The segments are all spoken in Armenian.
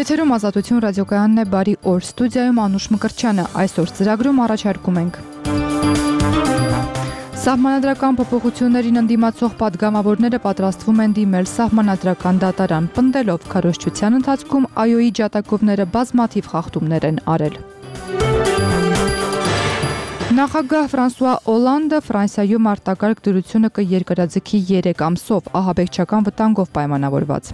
Եթերում Ազատություն ռադիոկայանն է, բարի օր, ստուդիայում Անուշ Մկրտչյանը, այսօր ծրագրում առաջարկում ենք Սահմանադրական փոփոխություններին ընդդիմացող պատգամավորները պատրաստվում են դիմել սահմանադրական դատարան, պնդելով քարոզչության ընթացքում ԱՅՈ-ի ջատագովները բազմաթիվ խախտումներ են արել։ Նախագահ Ֆրանսուଆ Օլանդը Ֆրանսիայում արտակարգ դրությունը կերկրաձգի 3 ամսով, ահաբեկչական վտանգով պայմանավորված։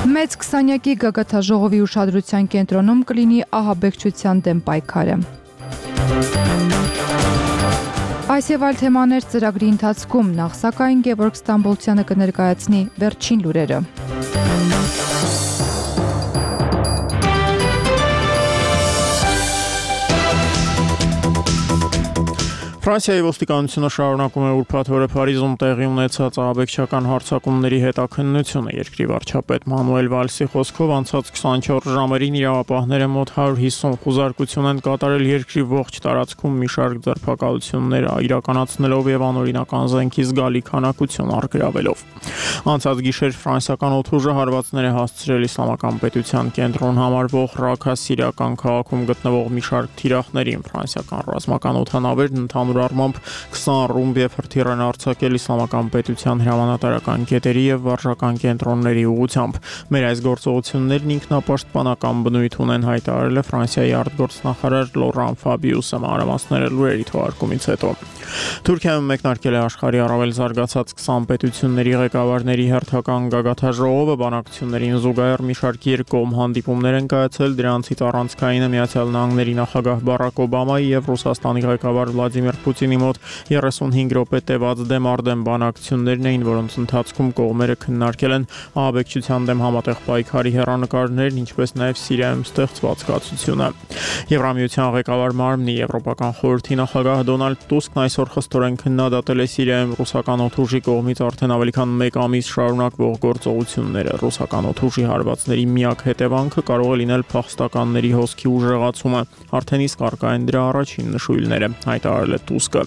Մեծ 20-յակի գագաթաժողովի ուշադրության կենտրոնում կլինի ահաբեկչության դեմ պայքարը։ Այս եւ այլ թեմաներ ծրագրի ընթացքում, նախ սակայն Գևորգ Ստամբոլցյանը կներկայացնի վերջին լուրերը։ Ֆրանսիայի ոստիկանությունը շարունակում է ուրբաթ օրը Փարիզում տեղի ունեցած ահաբեկչական հարձակումների հետաքննությունը։ Երկրի վարչապետ Մանուել Վալսի խոսքով անցած 24 ժամերին իրավապահները մոտ 150 խուզարկություն են կատարել երկրի ողջ տարածքում մի շարք ձերբակալություններ իրականացնելով եւ անօրինական զենքի զգալի քանակություն առգրավելով։ Անցած գիշեր ֆրանսիական օդուժը հարվածներ է հասցրել Իսլամական պետության կենտրոն համարվող Ռաքա սիրիական քաղաքում գտնվող մի շարք թիրախներին։ Ֆրանսիական ռազմական օդանավերն ընդհանուր առմամբ 20 ռումբ եւ հրթիռ են արձակել Իսլամական պետության հրամանատարական կետերի եւ վարժական կենտրոնների ուղղությամբ։ Մեր այս գործողություններն ինքնապաշտպանական բնույթ ունեն, հայտարարել է Ֆրանսիայի արտգործնախարար Լորան Ֆաբիուսը մանրամասները լուրերի թողարկումից հետո։ Թուրքիայում մեկնարկել է աշխարհի առավել զարգացած 20 պետությունների ղեկավարների հերթական գագաթաժողովը, բանակցություններին զուգահեռ մի շարք երկկողմ հանդիպումներ են կայացել, դրանցից առանցքայինը Միացյալ Նահանգների նախագահ Բարակ Օբամայի եւ Ռուսաստանի ղեկավար Վլադիմիր Պուտինի մոտ 35 րոպե տևած դեմ բանակցություններն էին, որոնց ընթացքում կողմերը քննարկել են ահաբեկչության դեմ համատեղ պայքարի հեռանկարներն, ինչպես նաեւ Սիրիայում ստեղծված կացությունը։ Եվրամիության ղեկավար մարմնի Եվրոպական խորհրդի նախագահ Դոնալդ Տուսկն այսօր խստորեն քննադատել է Սիրիայում ռուսական օդուժի կողմից արդեն ավելի քան 1 ամիս շարունակվող գործողությունները։ Ռուսական օդուժի հարվածների միակ հետևանքը կարող է լինել փախստականների հոսքի ուժեղացումը, արդեն իսկ առկա են դրա առաջին նշույլները, հայտարարել է Տուսկը։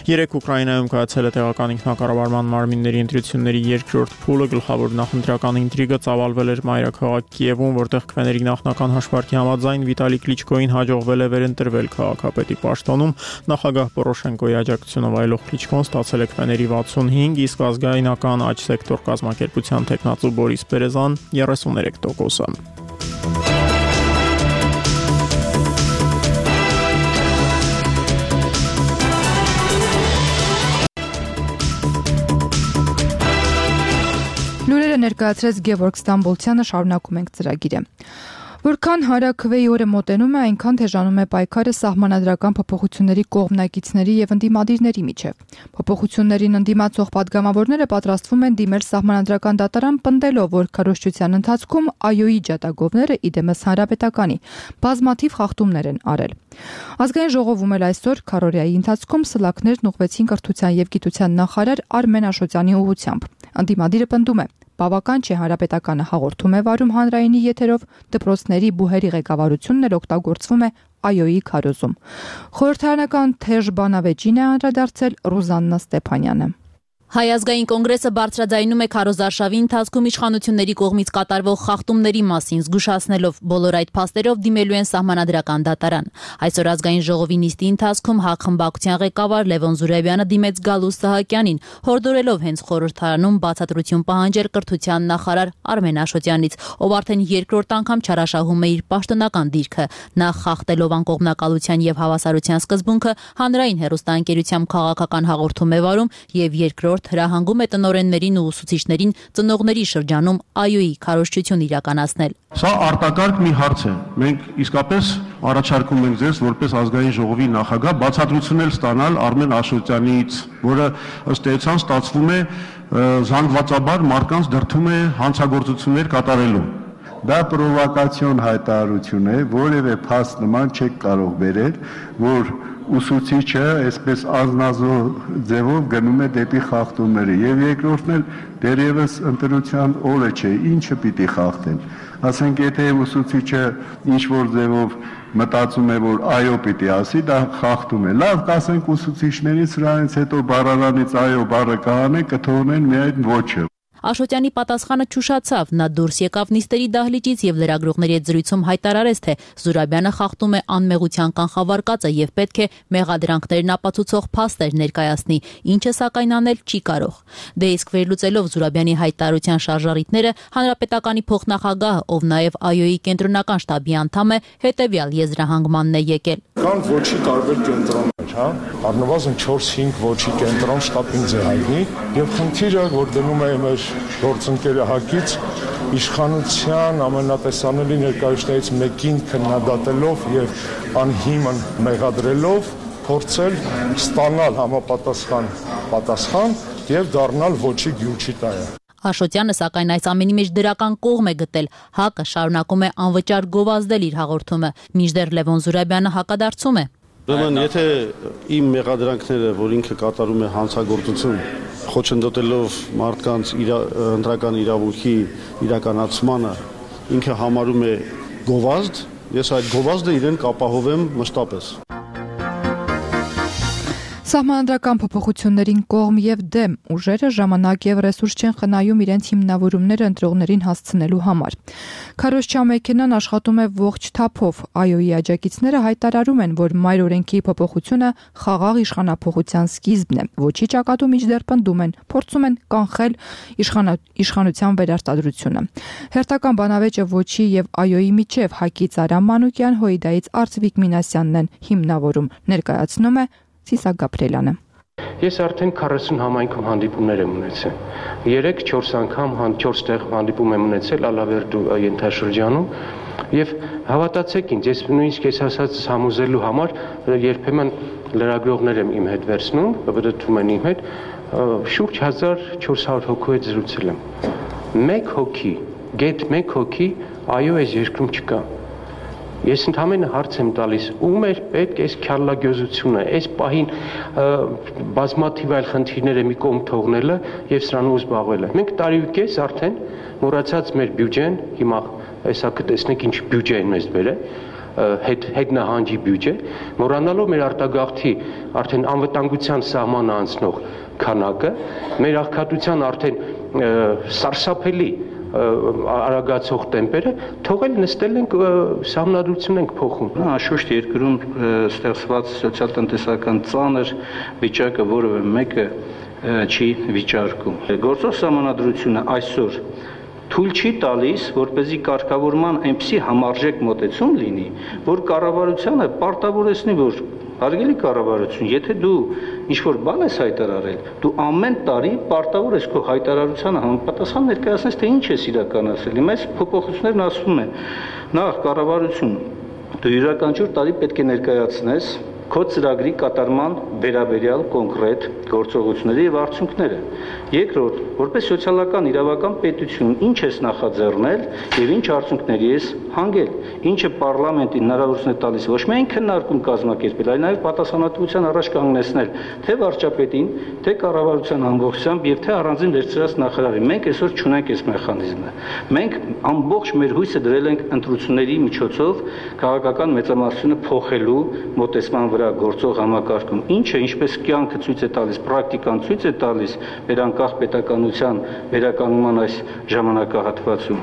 Երեկ Ուկրաինայում կայացել է տեղական ինքնակառավարման մարմինների ընտրությունների երկրորդ փուլը, գլխավոր նախընտրական ինտրիգը ծավալվել էր մայրաքաղաք Կիևում, որտեղ քվեների նախնական հաշվարկի համաձայն Վիտալի Կլիչկոին հաջողվել է վերընտրվել քաղաքապետի պաշտոնում, նախագահ Պորոշենկոյի աջակցությունը վայելող Կլիչկոն ստացել է քվեների 65, իսկ ազգայնական աջ սեկտոր կազմակերպության թեկնածու Բորիս Պերեզան 33%։ Լուրերը ներկայացրեց Գևորգ Ստամբոլցյանը, շարունակում ենք ծրագիրը։ Որքան հարաքվեի օրը մոտենում է, այնքան թեժանում է պայքարը սահմանադրական փոփոխությունների կողմնակիցների եւ ընդդիմադիրների միջեւ։ Փոփոխություններին ընդդիմացող պատգամավորները պատրաստվում են դիմել սահմանադրական դատարան, պնդելով, որ քարոզչության ընթացքում ԱՅՈ-ի ջատագովները իդեմս հանրապետականի բազմաթիվ խախտումներ են արել։ Ազգային ժողովում էլ այսօր քարորիայի ընթացքում սլաքներն ուղղվեցին կրթության եւ գիտության նախարար Արմեն Աշոտյանի ուղղությամբ։ Ընդդիմադիրը պնդում է, բավական չէ հանրապետականը հաղորդում է վարում հանրայինի եթերով, դպրոցների բուհերի ղեկավարությունն էլ օգտագործվում է ԱՅՈ-ի քարոզում։ Խորհրդարանական թեժ բանավեճին է անդրադարձել Ռուզաննա Ստեփանյանը։ Հայ ազգային կոնգրեսը բարձրաձայնում է քարոզարշավի ընթացքում իշխանությունների կողմից կատարվող խախտումների մասին, զգուշացնելով բոլոր այդ փաստերով դիմելու են սահմանադրական դատարան։ Այսօր ազգային ժողովի նիստի ընթացքում ՀԱԿ խմբակցության ղեկավար Լևոն Զուրաբյանը դիմեց Գալուստ Սահակյանին, հորդորելով հենց խորհրդարանում բացատրություն պահանջել կրթության նախարար Արմեն Աշոտյանից, ով արդեն երկրորդ անգամ չարաշահում է իր պաշտոնական դիրքը, նախ խախտելով անկողմնակալության եւ հավասարության սկզբունքը, հանրային հեռուստաընկերությամբ քաղաքական հաղորդում է վարում եւ երկրորդ հրահանգում է տնօրեններին ու ուսուցիչներին ծնողների շրջանում ԱՅՈ-ի քարոզչություն իրականացնել։ Սա արտակարգ մի հարց է։ Մենք իսկապես առաջարկում ենք ձեզ որպես ազգային ժողովի նախագահ բացատրություններ ստանալ Արմեն Աշոտյանից, որը ըստ էության ստացվում է զանգվածաբար մարդկանց դրդում է հանցագործություններ կատարելու։ Դա պրովոկացիոն հայտարարություն է, որևէ փաստ նման չեք կարող բերել, որ ուսուցիչը այսպես անznազող ձևով գնում է դեպի խախտումները եւ երկրորդն էլ դերևս ընտրության օրը չէ, ինչը պիտի խախտեն։ Ասենք եթե ուսուցիչը ինչ որ ձևով մտածում է, որ այո պիտի ասի, դա խախտում է։ Լավ, կասենք ուսուցիչներից սրանից հետո բառարանից այո բառը կհանեն, կթողնեն միայն ոչը։ Աշոտյանի պատասխանը չուշացավ, նա դուրս եկավ նիստերի դահլիճից եւ լրագրողների հետ զրույցում հայտարարեց, թե Զուրաբյանը խախտում է անմեղության կանխավարկածը եւ պետք է մեղադրանքներն ապացուցող փաստեր ներկայացնի, ինչը սակայն անել չի կարող։ Դե իսկ վերլուծելով Զուրաբյանի հայտարարության շարժառիթները, Հանրապետականի փոխնախագահ, ով նաեւ ԱՅՈ-ի կենտրոնական շտաբի անդամ է, հետեւյալ եզրահանգմանն է եկել։ Կան ոչի տարբեր կենտրոններ, հա, առնվազն 4-5 ոչի կենտրոն շտաբին է հայտնի, եւ խնդիրը, որ դնում է մեր գործընկերը Հակից, իշխանության ամենատեսանելի ներկայացուցիչներից մեկին քննադատելով եւ անհիմն մեղադրելով փորձել ստանալ համապատասխան եւ դառնալ ոչի գյուչի տայը։ Աշոտյանը սակայն այս ամենի մեջ դրական կողմ է գտել։ ՀԱԿ-ը շարունակում է անվճար գովազդել իր հաղորդումը, մինչդեռ Լևոն Զուրաբյանը հակադարձում է։ Ուրեմն, եթե իմ մեղադրանքները, որ ինքը կատարում է հանցագործություն, խոչընդոտելով մարդկանց ընտրական իրավունքի իրականացմանը, ինքը համարում է գովազդ, ես այդ գովազդը իրեն կապահովեմ մշտապես։ Սահմանադրական փոփոխություններին կողմ եւ դեմ ուժերը ժամանակ եւ ռեսուրս չեն խնայում իրենց հիմնավորումները ընտրողներին հասցնելու համար։ Քարոզչա մեքենան աշխատում է ողջ թափով։ ԱՅՈ-ի աջակիցները հայտարարում են, որ մայր օրենքի փոփոխությունը խաղաղ իշխանափոխության սկիզբն է։ Ոչի ճակատում միջդեռ պնդում են, փորձում են կանխել իշխանության վերարտադրությունը։ Հերթական բանավեճը ոչի եւ ԱՅՈ-ի միջև Հակից Արամ Մանուկյան, Հոիդայից Արծվիկ Մինասյանն են հիմնավորում։ Ներկայացնում է Սիսակ Գաբրելյանը։ Ես արդեն 40 համայնքում հանդիպումներ եմ ունեցել։ 3-4 անգամ 4 տեղ հանդիպում եմ ունեցել Ալավերդու ենթաշրջանում եւ հավատացեք ինձ, ես նույնիսկ ես ասած համոզելու համար երբեմն լրագրողներ եմ իմ հետ վերցնում, բրդում են իմ հետ, շուրջ 1400 հոգու հետ զրուցել եմ։ Մեկ հոգի այո այս երկրում չկա։ Ես ընդհանրապես հարց եմ տալիս, ում էր պետք այս քյալլագյոզությունը, այս պահին բազմաթիվ այլ խնդիրներ մի կողմ թողնելը եւ սրանով զբաղվելը։ Մենք տարի ու կես արդեն մոռացած մեր բյուջեն, հիմա հեսա կտեսնենք ինչ բյուջե են մեզ բերել, հետնահանջի բյուջե, մոռանալով մեր արտագաղթի արդեն անվտանգության սահմանը անցնող քանակը, մեր աղքատության արդեն սարսափելի արագացող տեմպերը, թողել նստել ենք սահմանադրություն ենք փոխում։ Անշուշտ երկրում ստեղծված սոցիալ-տնտեսական ծանր վիճակը որևէ մեկը չի վիճարկում։ Գործող սահմանադրությունը այսօր թույլ չի տալիս, որպեսզի կարգավորման այնպիսի համարժեք մոտեցում լինի, որ կառավարությանը պարտավորեցնի, որ հարգելի կառավարություն, եթե դու ինչ-որ բան ես հայտարարել, դու ամեն տարի պարտավոր ես քո հայտարարությանը համապատասխան ներկայացնես, թե ինչ ես իրականացրել։ Հիմա այս փոփոխություններն ասվում են, նախ կառավարություն, դու յուրաքանչյուր տարի պետք է ներկայացնես քո ծրագրի կատարման վերաբերյալ կոնկրետ գործողությունների եւ արդյունքները։ Երկրորդ, որպես սոցիալական իրավական պետություն, ինչ ես նախաձեռնել եւ ինչ արդյունքների ես հանգել, ինչը պարլամենտին հնարավորություն է տալիս ոչ միայն քննարկում կազմակերպել, այլ նաեւ պատասխանատվության առաջ կանգնեցնել թե վարչապետին, թե կառավարության ամբողջությամբ եւ թե առանձին վերցրած նախարարին։ Մենք այսօր չունենք այս մեխանիզմը։ Մենք ամբողջ մեր հույսը դրել ենք ընտրությունների միջոցով քաղաքական մեծամասնությունը փոխելու մոտեցման վրա գործող համակարգում, ինչը ինչպես կյանքը ցույց է տալիս, պրակտիկան ցույց է տալիս վերանկախ պետականության վերականգնման այս ժամանակահատվածում,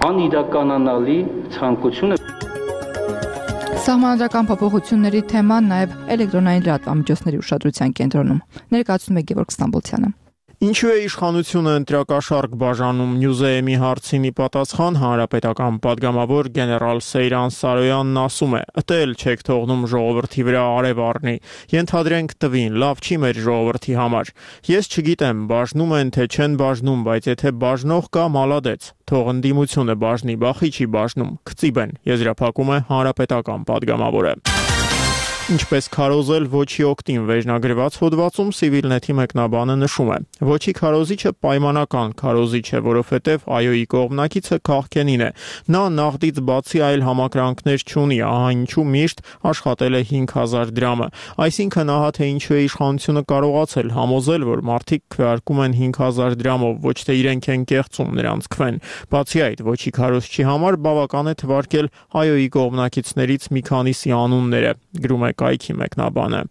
անիրականանալի ցանկություն է։ Սահմանադրական փոփոխությունների թեման նաև էլեկտրոնային լրատվամիջոցների ուշադրության կենտրոնում։ Ներկայացնում է Գևորգ Ստամբոլցյանը։ Ինչու է իշխանությունը ընտրակաշարք բաժանում Նյուզեեմի հարցինի պատասխան հանրապետական падգամավոր գեներալ Սեյրան Սարոյանն ասում է. «Ըտել չեք թողնում ժողովրդի վրա արև առնի, ենթադրենք տվին, լավ չի մեր ժողովրդի համար։ Ես չգիտեմ, բաժնում են թե չեն բաժնում, բայց եթե բաժնող կա, մալադեց, թող ընդդիմությունը բաժնի, բախի չի բաժնում, քծիբեն», եզրափակում է հանրապետական падգամավորը։ Ինչպես քարոզել ոչի օգտին վերջնագրված հոդվածում Civilnet-ի մեկնաբանը նշում է. «Ոչի քարոզիչը պայմանական քարոզիչ է, որովհետև ԱՅՈ-ի կողմնակիցը քաղքենին է։ Նա նաղդից բացի այլ համակրանքներ չունի, ահա ինչու միշտ աշխատել է 5000 դրամը։ Այսինքն ահա թե ինչու է իշխանությունը կարողացել համոզել, որ մարդիկ քվեարկում են 5000 դրամով, ոչ թե իրենք են կեղծում նրանց քվեն։ Բացի այդ, ոչի քարոզչի համար բավական է թվարկել ԱՅՈ-ի կողմնակիցներից մի քանիսի անունները», գրում է կայքի մեկնաբանը։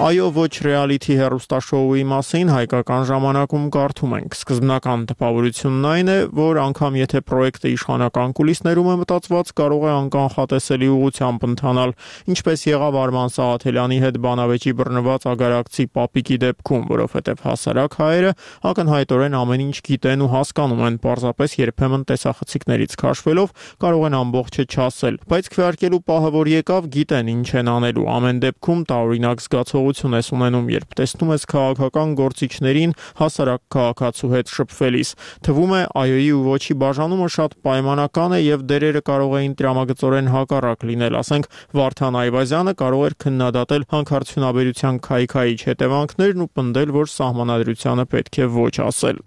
Այո, ոչ ռեալիթի հեռուստաշոուի մասին հայկական ժամանակում կարդում ենք։ Սկզբնական տպավորությունն այն է, որ անգամ եթե պրոյեկտը իշխանական կուլիսներում է մտածված, կարող է անկանխատեսելի ուղղությամբ ընթանալ, ինչպես եղավ Արման Սաղաթելյանի հետ բանավեճի բռնված ագարակցի պապիկի դեպքում, որովհետև հասարակ հայերը ակնհայտորեն ամեն ինչ գիտեն ու հասկանում են, պարզապես երբեմն տեսախցիկներից քաշվելով կարող են ամբողջը չասել, բայց քվեարկելու պահը որ եկավ, գիտեն ինչ են անելու։ Ամեն դեպքում տարօրինակ զգացողություն ես ունենում, երբ տեսնում ես քաղաքական գործիչներին հասարակ քաղաքացու հետ շփվելիս։ Թվում է այոյի ու ոչի բաժանումը շատ պայմանական է եւ դերերը կարող էին տրամագծորեն հակառակ լինել, ասենք Վարդան Այվազյանը կարող էր քննադատել հանքարդյունաբերության քայքայիչ հետևանքներն ու պնդել, որ սահմանադրությանը պետք է ոչ ասել։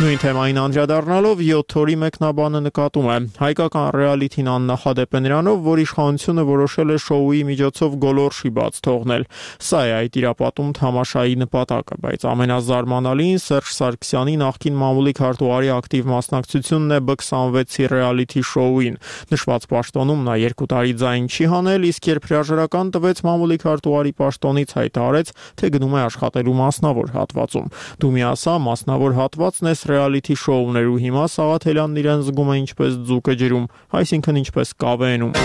Նույն թեմային անդրադառնալով 7 օրի մեկնաբանը նկատում է. հայկական ռեալիթին աննախադեպ է նրանով, որ իշխանությունը որոշել է շոուի միջոցով գոլորշի բաց թողնել։ Սա է այդ իրապատում թամաշայի նպատակը, բայց ամենազարմանալին Սերժ Սարգսյանի նախկին մամուլի քարտուղարի ակտիվ մասնակցությունն է B26-ի ռեալիթի շոուին։ Նշված պաշտոնում նա 2 տարի ձայն չի հանել, իսկ երբ հրաժարական տվեց մամուլի քարտուղարի պաշտոնից, հայտարարեց, թե գնում է աշխատելու մասնավոր հատվածում։ Դու մի ասա, մասնավոր հատվածն է ռեալիթի շոուներու հիմա Սաղաթելյանն իրեն զգում է ինչպես ձուկը ջրում, այսինքն ինչպես կավենում։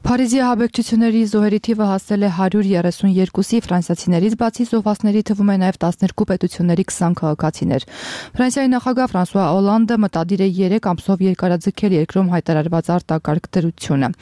Փարիզի ահաբեկչությունների զոհերի թիվը հասել է 132-ի, ֆրանսիացիներից բացի զոհվածների թվում է նաև 12 պետությունների 20 քաղաքացիներ։ Ֆրանսիայի նախագահ Ֆրանսուଆ Օլանդը մտադիր է 3 ամսով երկարաձգել երկրում հայտարարված արտակարգ դրությունը։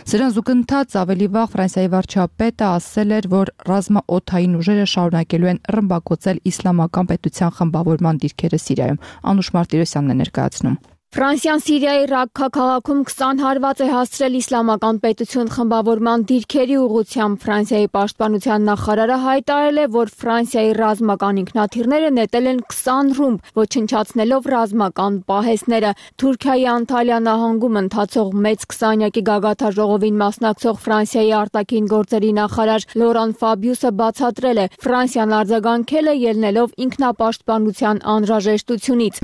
Սրան զուգընթաց ավելի վաղ Ֆրանսիայի վարչապետը ասել էր, որ ռազմաօդային ուժերը շարունակելու են ռմբակոծել իսլամական պետության խմբավորման դիրքերը Սիրիայում։ Անուշ Մարտիրոսյանն է ներկայացնում։ Ֆրանսիան Սիրիայի Ռակքա քաղաքում 20 հարված է հասցրել իսլամական պետություն խմբավորման դիրքերի ուղղությամբ։ Ֆրանսիայի պաշտպանության նախարարը հայտարարել է, որ Ֆրանսիայի ռազմական ինքնաթիռները նետել են 20 ռումբ, ոչնչացնելով ռազմական պահեստները։ Թուրքիայի Անտալիա նահանգում ընթացող մեծ 20-յակի գագաթաժողովին մասնակցող Ֆրանսիայի արտաքին գործերի նախարար Լորան Ֆաբիուսը բացատրել է, Ֆրանսիան արձագանքել է ելնելով ինքնապաշտպանության անհրաժեշտությունից։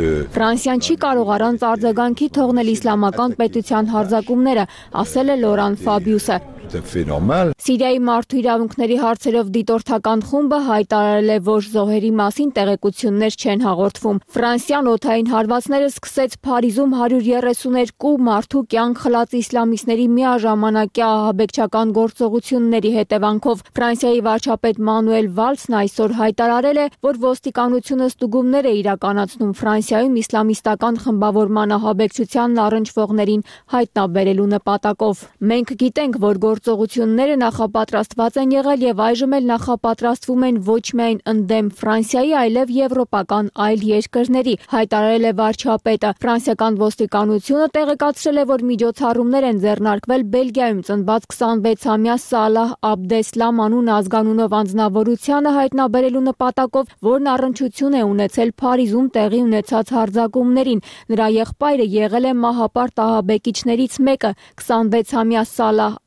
Ֆրանսիան չի կարող առանց արձագանքի թողնել իսլամական պետության հարձակումները, ասել է Լորան Ֆաբիուսը։ Սիրիայի մարդու իրավունքների հարցերով դիտորդական խումբը հայտարարել է, որ զոհերի մասին տեղեկություններ չեն հաղորդվում։ Ֆրանսիան օդային հարվածները սկսեց Փարիզում 132 մարդու կյանք խլած իսլամիստների միաժամանակյա ահաբեկչական գործողությունների հետևանքով։ Ֆրանսիայի վարչապետ Մանուել Վալսն այսօր հայտարարել է, որ ոստիկանությունը ստուգումներ է իրականացնում Ֆրանսիայում իսլամիստական խմբավորման ահաբեկչությանն առնչվողներին հայտնաբերելու նպատակով։ Մենք գիտենք, որ գործողությունները նախապատրաստված են եղել եւ այժմ էլ նախապատրաստվում են ոչ միայն ընդդեմ Ֆրանսիայի, այլև եվրոպական այլ երկրների, հայտարարել է վարչապետը։ Ֆրանսիական ոստիկանությունը տեղեկացրել է, որ միջոցառումներ են ձեռնարկվել Բելգիայում ծնված 26-ամյա Սալահ Աբդեսլամ անուն ազգանունով անձնավորությանը հայտնաբերելու նպատակով, որն առնչություն է ունեցել Փարիզում տեղի ունեցած հարձակումներին։ Նրա եղբայրը եղել է մահապարտ ահաբեկիչներից մեկը, 26-ամյա Սալահ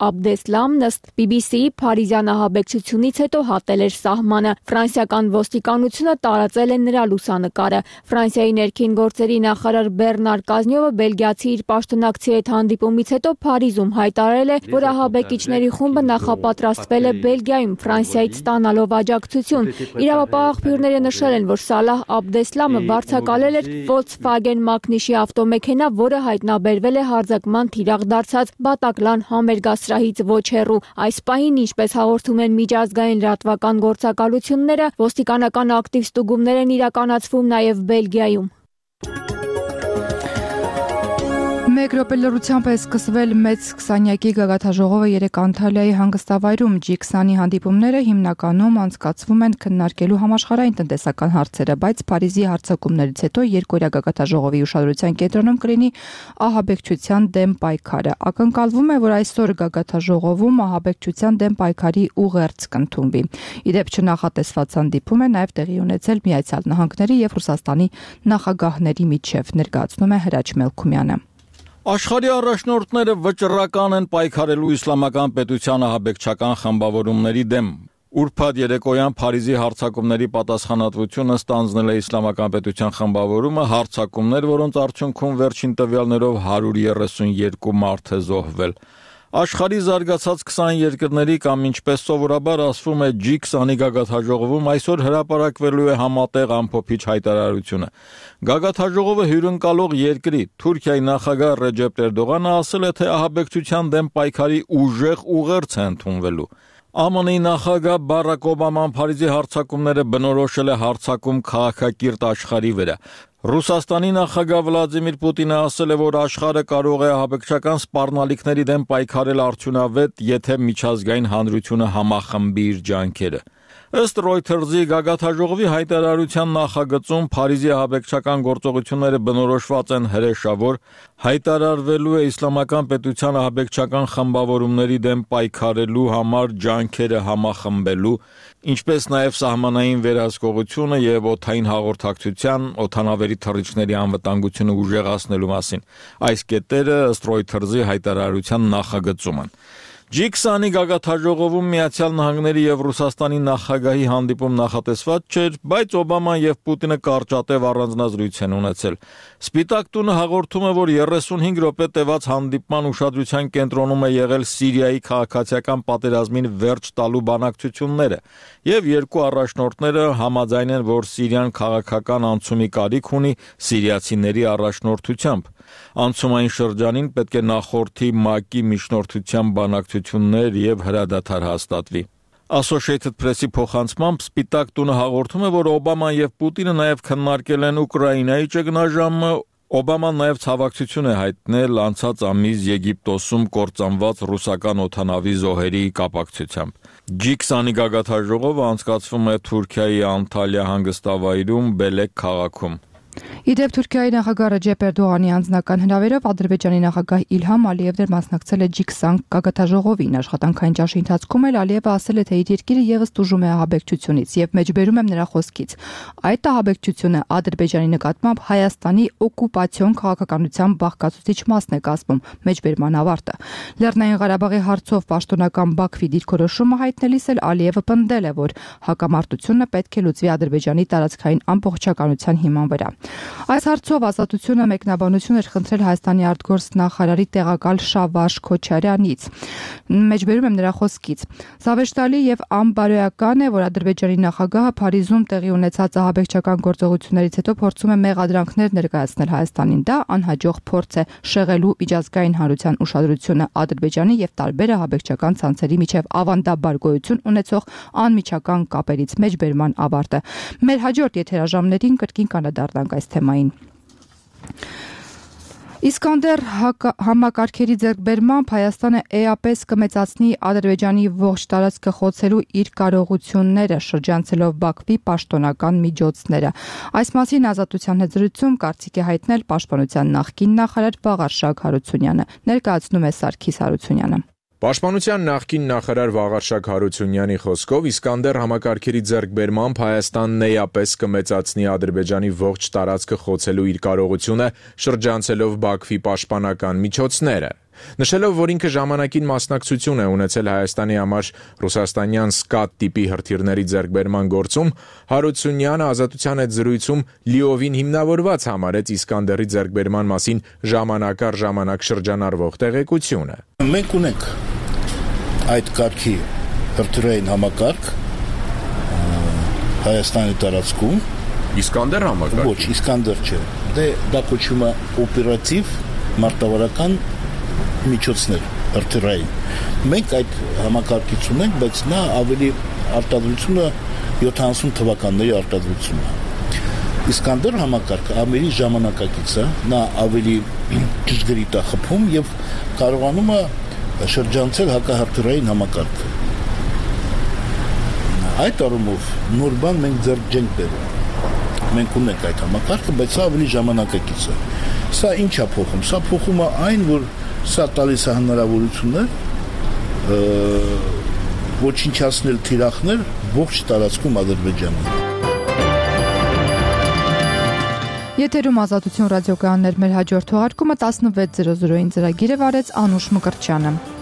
Աբդեսլամն ըստ BBC-ի փարիզյան ահաբեկչությունից հետո հատել էր սահմանը։ Ֆրանսիական ոստիկանությունը տարածել է նրա լուսանկարը։ Ֆրանսիայի ներքին գործերի նախարար Բեռնար Կազնյովը բելգիացի իր պաշտոնակցի հետ հանդիպումից հետո Փարիզում հայտարարել է, որ ահաբեկիչների խումբը նախապատրաստվել է Բելգիայում Ֆրանսիայից ստանալով աջակցություն։ Իրավապահ աղբյուրները նշել են, որ Սալահ Աբդեսլամը վարձակալել էր Volkswagen Magnishi ավտոմեքենա, որը հայտնաբերվել է հարձակման թիրախ դարձած Բատակլան համերգասրահից ոչ հեռու։ Այս պահին, ինչպես հաղորդում են միջազգային լրատվական գործակալությունները, ոստիկանական ակտիվ ստուգումներ են իրականացվում նաև Բելգիայում։ Մեկ րոպե լրությամբ է սկսվել մեծ 20-յակի գագաթաժողովը 3 Անտալիայի հանգստավայրում։ G20-ի հանդիպումները հիմնականում անցկացվում են քննարկելու համաշխարհային տնտեսական հարցերը, բայց Փարիզի հարձակումներից հետո երկօրյա գագաթաժողովի ուշադրության կենտրոնում կլինի ահաբեկչության դեմ պայքարը։ Ակնկալվում է, որ այսօր գագաթաժողովում ահաբեկչության դեմ պայքարի ուղերձ կընդունվի։ Ի դեպ չնախատեսված հանդիպում է նաև տեղի ունեցել Միացյալ Նահանգների եւ Ռուսաստանի նախագահների միջև, ներկայացնում է Հրաչ Մելքումյանը։ Աշխարհի առաջնորդները վճռական են պայքարելու իսլամական պետության ահաբեկչական խմբավորումների դեմ։ Ուրբաթ երեկոյան Փարիզի հարձակումների պատասխանատվությունը ստանձնել է Իսլամական պետության խմբավորումը, հարձակումներ, որոնց արդյունքում վերջին տվյալներով 132 մարդ է զոհվել։ Աշխարհի զարգացած 20 երկրների կամ ինչպես սովորաբար ասվում է G20-ի գագաթնաժողովում այսօր հրապարակվելու է համատեղ ամփոփիչ հայտարարությունը։ Գագաթնաժողովը հյուրընկալող երկրի Թուրքիայի նախագահ Ռեջեփ Էրդողանը ասել է, թե ահաբեկչության դեմ պայքարի ուժեղ ուղերձ է ընդունվելու։ ԱՄՆ-ի նախագահ Բարակ Օբաման Փարիզի հարձակումները բնորոշել է հարձակում քաղաքակիրթ աշխարհի վրա։ Ռուսաստանի նախագահ Վլադիմիր Պուտինը ասել է, որ աշխարհը կարող է ահաբեկչական սպառնալիքների դեմ պայքարել արդյունավետ, եթե միջազգային հանրությունը համախմբի իր ջանքերը։ Ըստ Reuters-ի գագաթնաժողովի հայտարարության նախագծում Փարիզի ահաբեկչական գործողությունները բնորոշված են հրեշավոր, հայտարարվելու է Իսլամական պետության ահաբեկչական խմբավորումների դեմ պայքարելու համար ջանքերը համախմբելու, ինչպես նաև սահմանային վերահսկողությունը եւ օդային հաղորդակցության, օդանավերի թռիչքների անվտանգությունը ուժեղացնելու մասին։ Այս կետերը ըստ Reuters-ի հայտարարության նախագծում են։ G20-ի գագաթնաժողովում Միացյալ Նահանգների եւ Ռուսաստանի նախագահի հանդիպում նախատեսված չէր, բայց Օբաման եւ Պուտինը կարճատև առանձնազրույց են ունեցել։ Սպիտակ տունը հաղորդում է, որ 35 րոպե տևած հանդիպման ուշադրության կենտրոնում է եղել Սիրիայի քաղաքացիական պատերազմին վերջ տալու բանակցությունները, եւ երկու առաջնորդները համաձայն են, որ Սիրիան քաղաքական անցումի կարիք ունի սիրիացիների առաջնորդությամբ։ Անցումային շրջանին պետք է նախորդի ՄԱԿ-ի միջնորդությամբ բանակցություններ եւ հրադադար հաստատվի։ Associated Press-ի փոխանցմամբ Սպիտակ տունը հաղորդում է, որ Օբաման եւ Պուտինը նաեւ քննարկել են Ուկրաինայի ճգնաժամը։ Օբաման նաեւ ցավակցություն է հայտնել անցած ամիս Եգիպտոսում կործանված ռուսական օդանավի զոհերի կապակցությամբ։ G20-ի գագաթնաժողովը անցկացվում է Թուրքիայի Անտալիա հանգստավայրում Բելեկ քաղաքում։ Իդեպ Թուրքիայի նախագահ Ռեջեփ Էրդողանի անձնական հրավերով Ադրբեջանի նախագահ Իլհամ Ալիևն մասնակցել է G20 գագաթնաժողովին։ Աշխատանքային ճաշի ընթացքում էլ Ալիևը ասել է, թե իր երկիրը եւս տուժում է ահաբեկչությունից եւ մեջբերում եմ նրա խոսքից։ Այդ ահաբեկչությունը Ադրբեջանի նկատմամբ Հայաստանի օկուպացիոն քաղաքականության բաղկացուցիչ մասն է կազմում, մեջբերման ավարտը։ Լեռնային Ղարաբաղի հարցով պաշտոնական Բաքվի դիրքորոշումը հայտնելիս էլ Ալիևը պնդել է, որ հակամարտությունը պետք է լուծվի Ադրբեջանի տարածքային ամբողջականության հիման վրա։ Այս հարցով Ազատությունը մեկնաբանություն էր խնդրել Հայաստանի արտգործնախարարի տեղակալ Շավարժ Քոչարյանից։ Մեջբերում եմ նրա խոսքից. Զավեշտալի եւ անբարոյական է, որ Ադրբեջանի նախագահը Փարիզում տեղի ունեցած ահաբեկչական գործողություններից հետո փորձում է մեղադրանքներ ներկայացնել Հայաստանին։ Դա անհաջող փորձ է շեղելու միջազգային հանրության ուշադրությունը Ադրբեջանի եւ տարբեր ահաբեկչական ցանցերի միջև ավանդաբար գոյություն ունեցող անմիջական կապերից մեջբերման ավարտը։ Մեր հաջորդ եթերաժամներին կրկին կանադառնանք այս թեմային։ Իսկանդեր համակարգերի ձեռքբերմամբ Հայաստանը էապես կմեծացնի Ադրբեջանի ողջ տարածքը խոցելու իր կարողությունները, շրջանցելով Բաքվի պաշտոնական միջոցները։ Այս մասին Ազատության հետ զրույցում կարծիք է հայտնել Պաշտպանության նախկին նախարար Վաղարշակ Հարությունյանը, ներկայացնում է Սարգիս Հարությունյանը։ Պաշտպանության նախկին նախարար Վաղարշակ Հարությունյանի խոսքով Իսկանդեր համակարգերի ձեռքբերմամբ Հայաստանն էապես կմեծացնի Ադրբեջանի ողջ տարածքը խոցելու իր կարողությունը, շրջանցելով Բաքվի պաշտպանական միջոցները։ Նշելով, որ ինքը ժամանակին մասնակցություն է ունեցել Հայաստանի համար ռուսաստանյան սկադ տիպի հրթիռների ձեռքբերման գործում, Հարությունյանը Ազատության հետ զրույցում լիովին հիմնավորված համարեց Իսկանդերի ձեռքբերման մասին ժամանակ առ ժամանակ շրջանառվող տեղեկությունը։ Մենք ունենք այդ կարգի հրթիռային համակարգ Հայաստանի տարածքում։ Իսկանդեր համակարգ։ Ոչ, Իսկանդեր չէ։ Դա կոչվում է օպերատիվ մարտավարական միջոցներ հրթիռային։ Մենք այդ համակարգից ունենք, բայց նա ավելի արտադրությունը 70 թվականների արտադրությունն է։ Իսկանդեր համակարգը ավելի ժամանակակից է, նա ավելի ճշգրիտ է խփում եւ կարողանում է շրջանցել հակահրթիռային համակարգը։ Այդ առումով նոր բան մենք ձեռք չենք բերում։ Մենք ունենք այդ համակարգը, բայց սա ավելի ժամանակակից է։ Սա ինչ է փոխում։ Սա փոխում է այն, որ սա տալիս է հնարավորություններ ոչնչացնել թիրախներ ողջ տարածքում Ադրբեջանի։ Եթերում Ազատություն ռադիոկայաններ մեր հաջորդ թողարկումը 16:00-ին ծրագիրը վարեց Անուշ Մկրտչյանը։